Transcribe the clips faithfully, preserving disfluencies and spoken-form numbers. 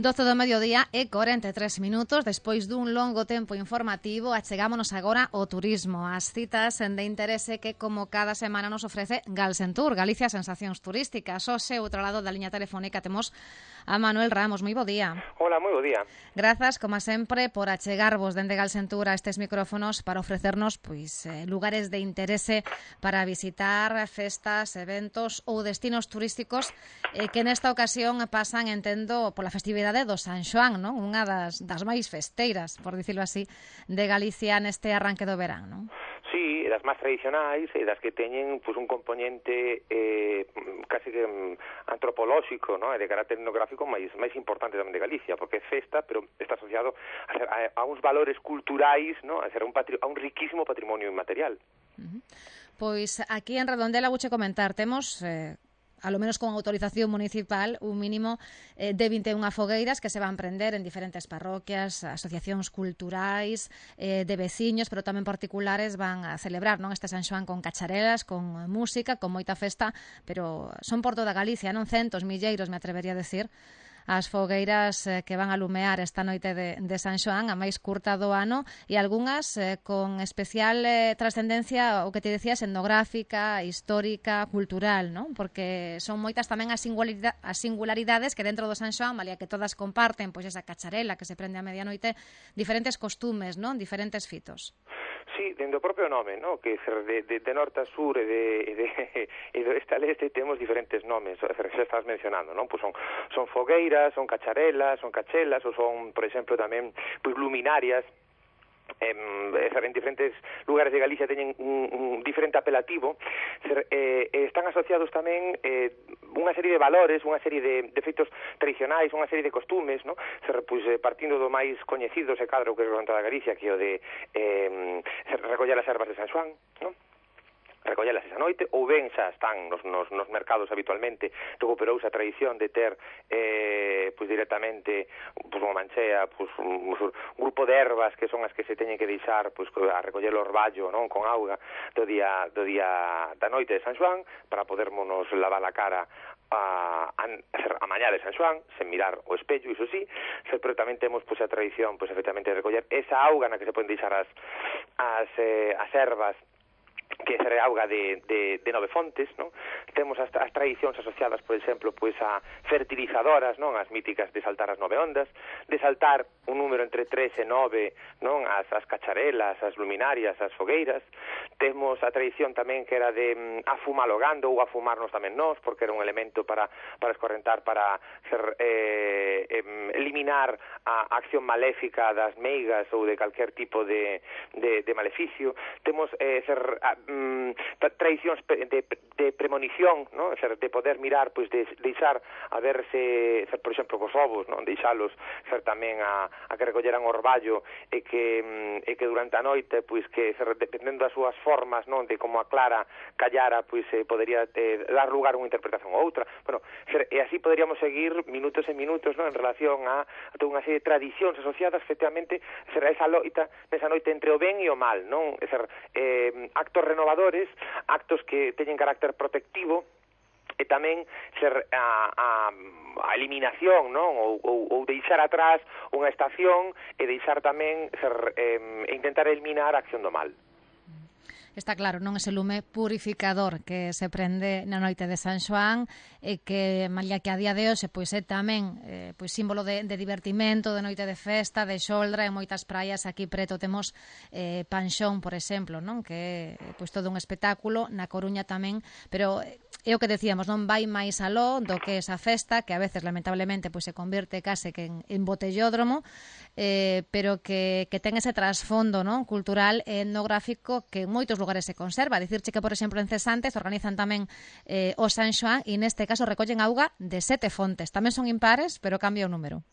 doce do mediodía e corenta e tres minutos. Despois dun longo tempo informativo, achegámonos agora ao turismo, as citas de interese que, como cada semana, nos ofrece Galsentur, Galicia Sensacións Turísticas. Hoxe, outro lado da liña telefónica, temos a Manuel Ramos. Moi bo día. Hola, moi bo día. Grazas, como sempre, por achegarvos dende Galsentur a estes micrófonos para ofrecernos pois eh, lugares de interese para visitar, festas, eventos ou destinos turísticos eh, que nesta ocasión pasan, entendo, pola festividade do San Xoán, non? Unha das, das máis festeiras, por dicirlo así, de Galicia neste arranque do verán, non? Sí, das máis tradicionais e das que teñen pues, un componente eh, casi que um, antropolóxico, ¿no? E de carácter etnográfico máis máis importante tamén de Galicia, porque é festa, pero está asociado a, ser, a, a uns valores culturais, ¿no? A ser un patri, a un riquísimo patrimonio inmaterial. Uh-huh. Pois aquí en Redondela vouche comentar, temos... Eh, alo menos con autorización municipal, un mínimo eh, de vinte e unha fogueiras que se van prender en diferentes parroquias, asociacións culturais, eh, de veciños, pero tamén particulares, van a celebrar, non, este San Xoán con cacharelas, con música, con moita festa, pero son por toda Galicia, non centos, milleiros, me atrevería a decir, as fogueiras eh, que van a lumear esta noite de, de San Xoán, a máis curta do ano, e algunhas eh, con especial eh, trascendencia, o que te decías, etnográfica, histórica, cultural, non? Porque son moitas tamén as, singularidade, as singularidades que dentro do San Xoán, malia que todas comparten pois esa cacharela que se prende a medianoite, diferentes costumes, non? Diferentes fitos. Sí, dentro do propio nome, ¿no? Que de, de, de norte a sur e de, de, e de oeste a leste temos diferentes nomes, xa estás mencionando, non? Pues son, son fogueiras, son cacharelas, son cachelas, ou son, por exemplo, tamén pues, luminarias. En, en diferentes lugares de Galicia teñen un, un diferente apelativo. Ser, eh, están asociados tamén eh, unha serie de valores, unha serie de, de feitos tradicionais, unha serie de costumes, ¿no? Ser, pues, eh, partindo do máis coñecido se cadro que é o da Galicia, que é o de eh, recoller as ervas de San Xoán, ¿no? Recollelas esa noite, ou ben xa están nos, nos, nos mercados habitualmente. Recuperouse a tradición de ter eh, pues directamente pues, unha manchea, pues, un, un grupo de ervas que son as que se teñen que deixar pues, a recoller o orballo, non, con auga do día, do día da noite de San Xoán, para podermonos lavar a cara a, a, a mañá de San Xoán, sen mirar o espello, iso sí, pero tamén temos pues, a tradición pues, efectivamente de recoller esa auga na que se poden deixar as, as, eh, as ervas, que é auga de, de, de nove fontes, non? Temos as, as tradicións asociadas, por exemplo, pois a fertilizadoras, non? As míticas de saltar as nove ondas, de saltar un número entre tres e nove, non? As, as cacharelas, as luminarias, as fogueiras. Temos a tradición tamén que era de um, afumalogando ou afumarnos tamén nós, porque era un elemento para, para escorrentar, para ser, eh, eh, eliminar a acción maléfica das meigas ou de calquer tipo de, de, de maleficio. Temos eh, ser... A, Mm, tradicións de, de premonición, ¿no? Ser, de poder mirar, pues, de deixar a verse, ser, por exemplo, cos ovos, ¿no? Deixalos ser tamén a, a que recolleran orballo e que, e que durante a noite, pues, que ser, dependendo das súas formas, ¿no? De como a clara callara, pues, eh, podería eh, dar lugar a unha interpretación ou outra. Bueno, ser, e así poderíamos seguir minutos e minutos, ¿no? En relación a, a toda unha serie de tradicións asociadas, efectivamente, ser a esa loita, nesa noite entre o ben e o mal, non? Ser, eh, actos renovadores, actos que teñen carácter protectivo, e tamén ser a, a, a eliminación, non? Ou, ou, ou deixar atrás unha estación e deixar tamén ser, eh, intentar eliminar a acción do mal. Está claro, non ese lume purificador que se prende na noite de San Xoán e que, malia que a día de hoxe pois é tamén eh, pois símbolo de, de divertimento, de noite de festa, de xoldra, en moitas praias aquí preto temos eh, Panxón, por exemplo, non? Que é pois todo un espectáculo, na Coruña tamén, pero é o que decíamos, non vai máis aló do que esa festa, que a veces lamentablemente pois se convierte case que en, en botellódromo, eh, pero que, que ten ese trasfondo, non? Cultural e etnográfico que en moitos lugares se conserva. Dicirche que, por exemplo, en Cesantes organizan tamén eh, o San Xoán e neste caso recollen auga de sete fontes. Tamén son impares, pero cambia o número.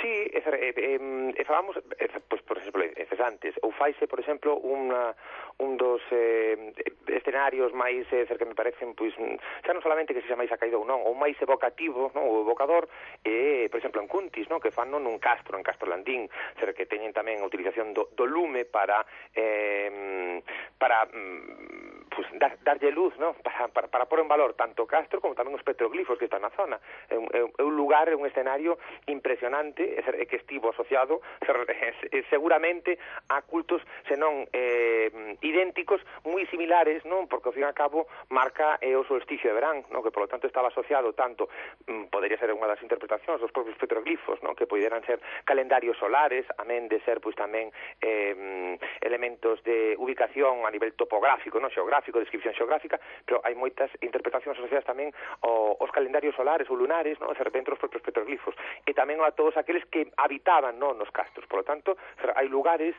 Sí, e, e, e, e falamos, e, pues, por exemplo, en Cesantes, ou faise, por exemplo, unha, un dos eh, escenarios máis eh, que me parecen, pois, xa non solamente que se xa máis acaído ou non, ou máis evocativo, non, ou evocador, e, por exemplo, en Cuntis, non, que fan non nun castro, en Castro Landín, ser que teñen tamén a utilización do, do lume para eh, para pues, dar, darlle luz, ¿no? para, para, para pôr en valor tanto Castro como tamén os petroglifos que están na zona. É un, é un lugar, é un escenario impresionante, é que estivo asociado seguramente a cultos senón eh, idénticos, moi similares, non? Porque ao fin e ao cabo marca é o solsticio de verán, non? Que polo tanto estaba asociado tanto, mm, podería ser unha das interpretacións dos propios petroglifos, non? Que poderan ser calendarios solares, amén de ser pois tamén eh, elementos de ubicación a nivel topográfico, non? Xeográfico, descripción xeográfica, pero hai moitas interpretacións asociadas tamén ao, aos calendarios solares ou lunares, non? De repente os propios petroglifos, e tamén a todos aqueles que habitaban, non? Nos castros. Por lo tanto, hai lugares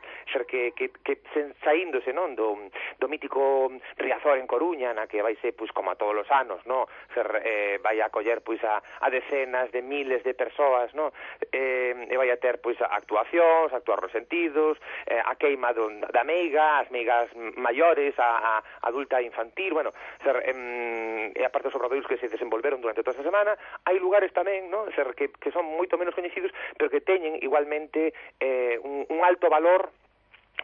que, que, que saíndose, non? Do, do mítico Riazor en Coruña, na que vai ser, pois, como a todos os anos, non? Ser, eh, vai a coller, pois, a, a decenas de miles de persoas, non? Eh, e vai a ter, pois, actuacións, actuar resentidos, eh, a queima do, da meiga, as meigas maiores, a, a adulta e infantil, bueno, ser, eh, e aparte os obradoiros que se desenvolveron durante toda esta semana, hai lugares tamén, non? Ser, que, que son moito menos coñecidos, pero que teñen igualmente eh, un, un alto valor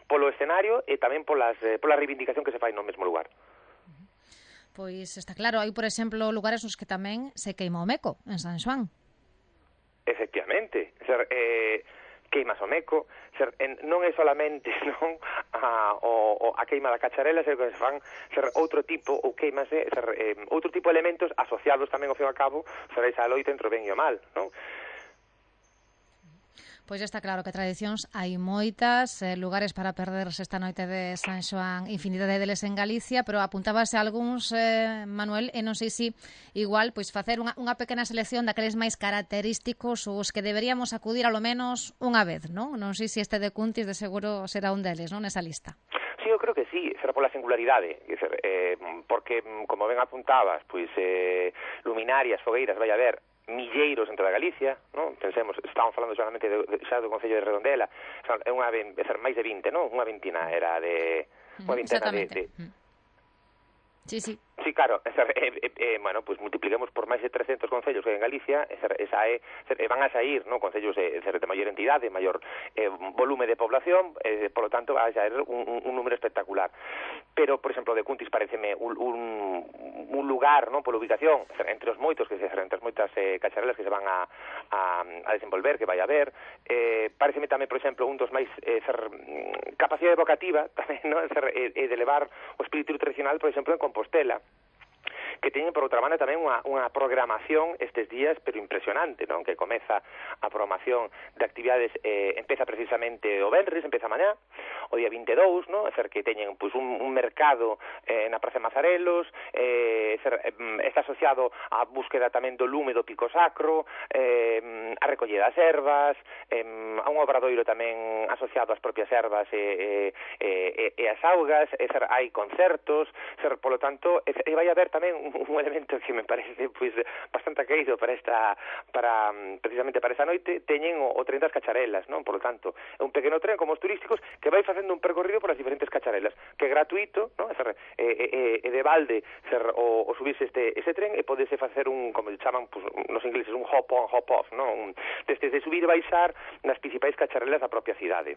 polo escenario e tamén polas, eh, pola reivindicación que se fai no mesmo lugar. Pois está claro, hai, por exemplo, lugares nos que tamén se queima o meco, en San Xoán. Efectivamente, ser, eh, queimas o meco, ser, en, non é solamente non a, o, o, a queima da cacharela, ser que se fan ser outro tipo, ou queimase, ser, eh, outro tipo de elementos asociados tamén ao fin e ao cabo, ser esa loita entre o ben e o mal, non? Pois está claro que tradicións hai moitas, eh, lugares para perderse esta noite de San Xoán, infinidade deles en Galicia, pero apuntábase a algúns, eh, Manuel, e non sei se igual pois facer unha, unha pequena selección daqueles máis característicos os que deberíamos acudir alo menos unha vez, non? Non sei se este de Cuntis de seguro será un deles, non, nesa lista. Sí, eu creo que sí, será pola singularidade, eh, porque, como ben apuntabas, pois eh, luminarias, fogueiras, vai haber milleiros entre a Galicia, non? Pensemos, estamos falando solamente de, de, xa do Concello de Redondela, é unha é ser máis de vinte, non? Unha vintina era de unha vintena de, de... Sí, sí. Sí, claro, esa, eh, eh, eh, bueno, pues multipliquemos por máis de trescentos concellos que hai en Galicia, esa, esa é, eh, van a sair, ¿no? Concellos de, de maior entidade, maior eh, volume de población, eh, por lo tanto vai a sair un, un, un número espectacular. Pero, por exemplo, de Cuntis pareceme un, un, un lugar, ¿no? Por ubicación, entre os moitos, que se entre as moitas eh, cacharelas que se van a, a, a desenvolver, que vai a haber, eh, pareceme tamén, por exemplo, un dos máis eh, ser, capacidade evocativa, tamén, ¿no? Ser, eh, eh, de levar o espírito tradicional, por exemplo, en Compostela, que teñen, por outra banda, tamén unha, unha programación estes días, pero impresionante, non? Que comeza a programación de actividades, eh, empeza precisamente o venres, empeza mañá, o día vinte e dous, non? É ser, que teñen pues, un, un mercado eh, na Praza de Mazarelos, eh, ser, eh, está asociado á búsqueda tamén do lume do pico sacro, eh, a recollida das ervas, eh, a un obradoiro tamén asociado ás propias ervas e, e, e, e as augas, é ser, hai concertos, ser, polo tanto, e, e vai haber tamén un un elemento que me parece pois bastante querido para esta para precisamente para esa noite, teñen o, o tren das cacharelas, non? Por lo tanto, é un pequeno tren como os turísticos que vai facendo un percorrido por as diferentes cacharelas, que é gratuito, non? É, é, é de balde ser o, o subirse este ese tren e podese facer un, como chaman pues, nos ingleses, un hop on, hop off, non? Un, desde de subir e baixar nas principais cacharelas da propia cidade.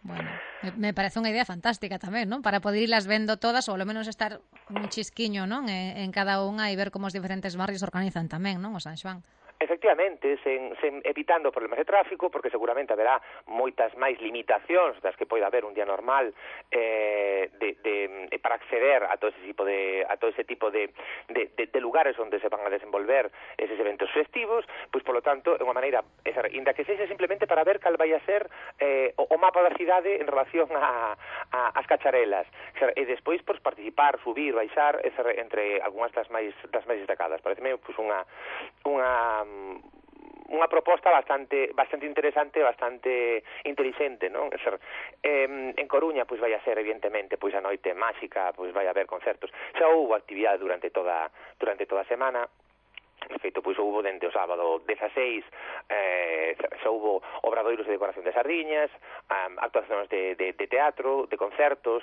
Bueno, me parece unha idea fantástica tamén, non? Para poder irlas vendo todas, ou ao menos estar un chisquiño, non? En, en cada unha e ver como os diferentes barrios organizan tamén, non? O San Xoán. Efectivamente, sen, sen evitando problemas de tráfico, porque seguramente haberá moitas máis limitacións das que pode haber un día normal eh, de, de, de, para acceder a todo ese tipo de a todo ese tipo de, de, de, de lugares onde se van a desenvolver eses eventos festivos, pois polo tanto é unha maneira, esa, inda que sexa simplemente para ver cal vai a ser eh, o, o mapa da cidade en relación a, a as cacharelas, e despois pois, participar, subir, baixar, esa, entre algunhas das máis das máis destacadas. Pareceme pois, unha unha unha proposta bastante bastante interesante, bastante inteligente, non? Ser, eh, en Coruña pois vai a ser evidentemente pois a noite máxica, pois vai a haber concertos. Xa houve actividade durante toda durante toda a semana. De feito, pois houve dende o sábado dezaseis eh, xa houve obradoiros de decoración de sardiñas, um, actuacións de, de, de teatro, de concertos,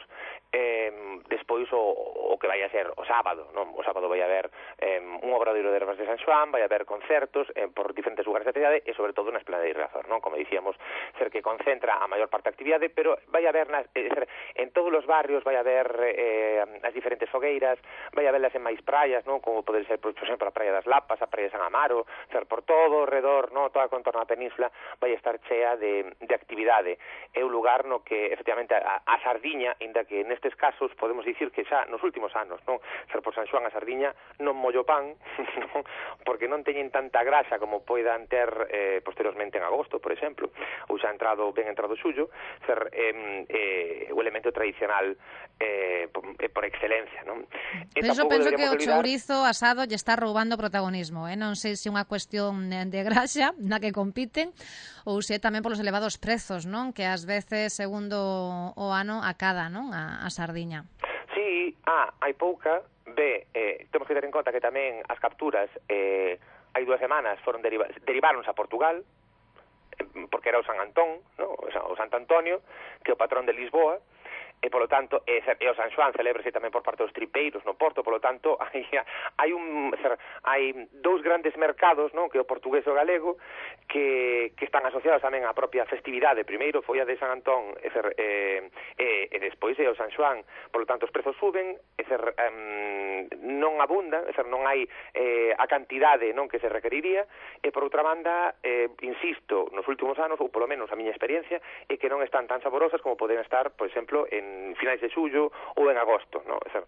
eh, despois o, o que vai a ser o sábado, non? O sábado vai haber eh, un obradoiro de ervas de San Xoán, vai haber concertos eh, por diferentes lugares da cidade e sobre todo na Esplanada de Riazor, non? Como dicíamos, ser que concentra a maior parte da actividade, pero vai haber nas, eh, ser, en todos os barrios vai haber eh, as diferentes fogueiras, vai haberlas en máis praias, non? Como pode ser, por exemplo, a Praia das Lapas, a Praia de San Amaro, ser por todo o redor, no, toda a contorna da península vai estar chea de, de actividade. É un lugar no que, efectivamente, a, a sardiña, inda que nestes casos podemos dicir que xa nos últimos anos, non? Ser por San Xoán a sardiña non mollo pan, non? Porque non teñen tanta grasa como poidan ter eh, posteriormente en agosto, por exemplo, ou xa entrado, ben entrado xullo, ser eh, eh, o elemento tradicional eh, por, eh, por excelencia, non? Pero iso penso que o chourizo asado lle está roubando protagonismo, eh? Non sei se é unha cuestión de graxa na que compiten ou se é tamén polos elevados prezos, non? Que ás veces, segundo o ano, acada, non? A, a sardiña. Sí, ah, hai pouca, B, eh, temos que ter en conta que tamén as capturas eh, hai dúas semanas foron deriva deriváronse a Portugal, eh, porque era o San Antón, no? O Santo Antonio, que é o patrón de Lisboa, e polo tanto e, e o San Xoán celébrase tamén por parte dos tripeiros no Porto, polo tanto hai, hai un hai dous grandes mercados, non, que o portugués e o galego que, que están asociados tamén á propia festividade. Primeiro foi a de San Antón e, e, e, e despois é o San Xoán, polo tanto os prezos suben e ser, um, non abundan, e ser, non hai eh, a cantidade, non, que se requeriría, e por outra banda eh, insisto, nos últimos anos, ou polo menos a miña experiencia, é que non están tan saborosas como poden estar, por exemplo, en finais de xullo ou en agosto, no? É ser,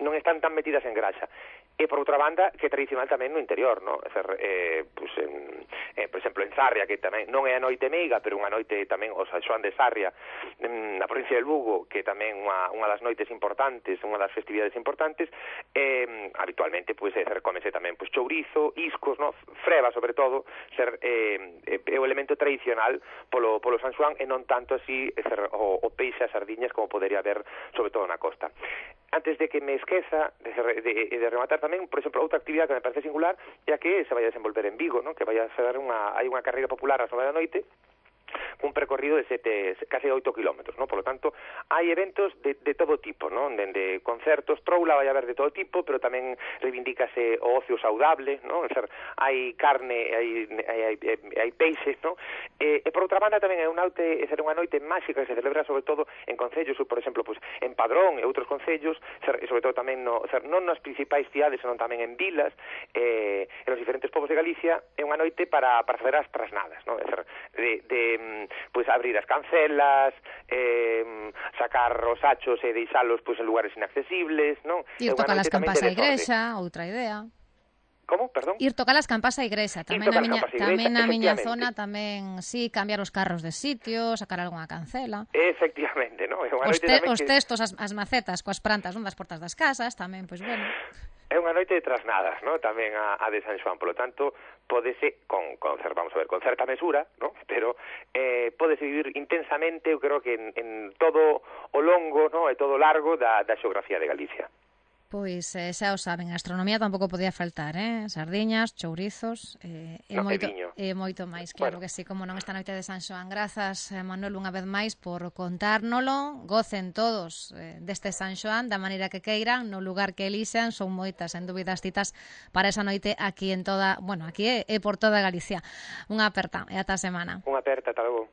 non están tan metidas en graxa. E por outra banda, que é tradicional tamén no interior, no? É ser, eh, pues en, eh, por exemplo, en Sarria, que tamén non é a noite meiga, pero unha noite tamén o San Xoán de Sarria, na provincia de Lugo, que tamén unha, unha das noites importantes, unha das festividades importantes, eh, habitualmente, pues, é ser, comese tamén pues, chourizo, iscos, no? Freva, sobre todo, ser eh, é o elemento tradicional polo, polo San Xoán e non tanto así é ser, o, o peixe as sardiñas como podería haber, sobre todo na costa. Antes de que me esqueza de, de, de rematar tamén, por exemplo, outra actividade que me parece singular é a que se vai a desenvolver en Vigo, ¿no? Que vai a ser unha, hai unha carreira popular ás nove da noite, un percorrido de sete, casi oito kilómetros, ¿no? Por lo tanto, hai eventos de, de todo tipo, ¿no? Dende concertos, troula vai haber de todo tipo, pero tamén reivindícase o ocio saudable, ¿no? Ser, hai carne, hai, hai, hai, hai peixe, ¿no? E, e por outra banda tamén é unha noite, é ser unha noite máxica que se celebra sobre todo en concellos, por exemplo, pues, en Padrón e outros concellos, ser, e sobre todo tamén no, ser, non nas principais cidades, senón tamén en vilas, eh, en os diferentes povos de Galicia, é unha noite para, para fazer as trasnadas, ¿no? É ser, de, de pues abrir as cancelas, eh, sacar os achos e deixalos pues, en lugares inaccesibles, non? Ir tocar as campas á igrexa, outra idea. Como? Perdón? Ir tocar as campas á igrexa, tamén na miña, tamén na miña zona, tamén, sí, cambiar os carros de sitio, sacar algunha cancela. Efectivamente, non? Os, te, os que... textos, as, as macetas coas plantas, non, das portas das casas, tamén, pois, bueno... É unha noite de trasnadas, ¿no? Tamén a, a de San Xoán, polo tanto, pódese con, con vamos a ver, con certa mesura, ¿no? Pero eh, pódese vivir intensamente, eu creo que en, en todo o longo, ¿no? E todo o largo da, da xeografía de Galicia. Pois eh, xa o saben, a astronomía tampouco podía faltar, eh? Sardiñas, chourizos eh, e, no, moito, e, e moito máis, claro bueno. Que sí, como non esta noite de San Xoán. Grazas, Manuel, unha vez máis por contárnolo. Gocen todos eh, deste San Xoán da maneira que queiran, no lugar que elixan. Son moitas, en dúbida, as citas para esa noite aquí en toda, bueno, aquí e, e por toda Galicia. Unha aperta e ata a semana. Unha aperta, ata logo.